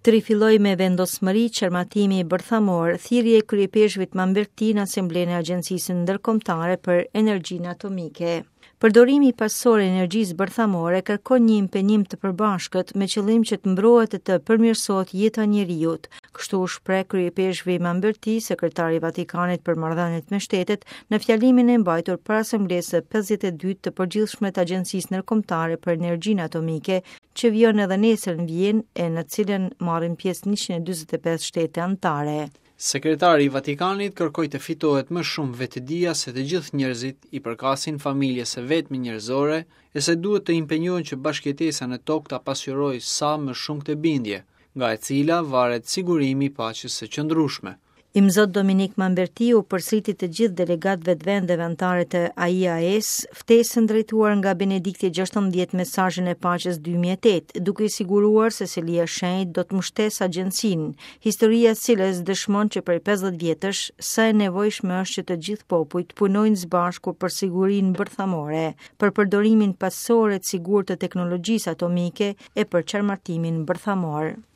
Të rifillojë me vendosmëri çarmatimi bërthamor, thirrje e kryeipeshkvit Mamberti në Asamblenë e Agjencisë Ndërkombëtare për Energjinë Atomike. Përdorimi paqësor i energjisë bërthamore kërkon një impenjim të përbashkët me qëllim që të mbrohet e të përmirësohet jeta e njeriut. Kështu u shpreh kryeipeshkvi Mamberti, sekretari i Vatikanit për marrëdhëniet me shtetet, në fjalimin e mbajtur para Asamblesë së 52 të përgjithshme të Agjencisë Ndërkombëtare për Energjinë Atomike, që vijon edhe nesër në Vjenë e në cilën marrin pjesë 145 shtete anëtare. Sekretari i Vatikanit kërkoi të fitohet më shumë vetëdija se të gjithë njerëzit i përkasin familjes së vetme njerëzore e se duhet të impenjohen që bashkëjetesa në tokë ta pasqyrojë sa më shumë këtë bindje, nga e cila varet sigurimi i paqes së qëndrueshme. Imzot Dominik Mamberti u përsëriti të gjithë delegatëve të vendeve anëtare të AIAE-s ftesën drejtuar nga Benedikti 16 mesazhin e paqes 2008, duke i siguruar se Selia e Shenjtë do të mbështesë agjencinë, historia e cilës dëshmon që prej 50 vjetësh sa e nevojshme është që të gjithë popujt punojnë së bashku për sigurinë bërthamore, për përdorimin paqësor e të sigurt të teknologjisë atomike e për çarmatimin bërthamor.